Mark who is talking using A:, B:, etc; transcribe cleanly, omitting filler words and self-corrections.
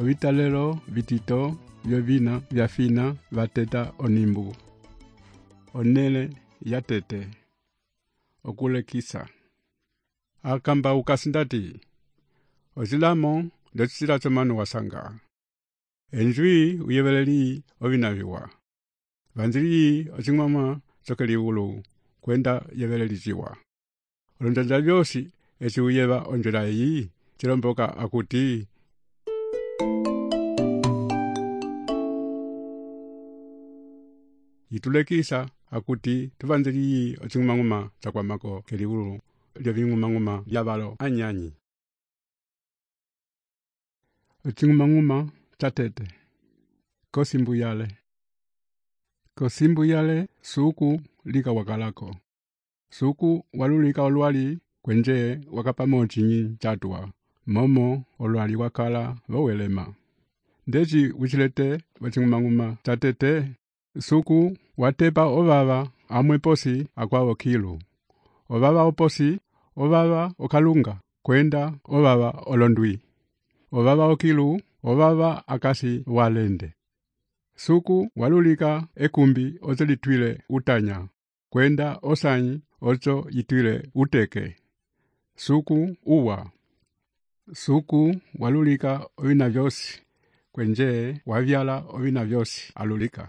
A: Ovitalelo vitito vyovina vyafina vateta onimbu. Onele yatete. Okulekisa. Akamba ukasindati. Ozilamo ndetsila chomanu wasanga. Enjwi uyeveleli ovinaviwa. Vanzili ochingmama chokeli ulu kwenda yeveleli jiwa. Olonjanja vyosi esi uyeva onjela iyi chilomboka akuti itulekisa akuti tuvanzili ochingmama chakwamako keli ulu lyovingumanguma lyavalo anyanyi. Ochingumanguma chatete. Kosimbuyale. Kosimbuyale suku lika wakalako. Suku walulika olwali kwenje wakapamo chinyi chatua. Momo olwali wakala wawelema. Ndeji uchilete wachingumanguma chatete. Suku watepa ovava amwe posi akwawo kilu. Ovava oposi, ovava okalunga. Kwenda ovava olondwi. Ovava okilu, ovava akasi walende. Suku walulika ekumbi ozo litwile utanya. Kwenda osanyi ozo yitwile uteke. Suku uwa. Suku walulika ovina vyosi. Kwenje wavyala ovina vyosi alulika.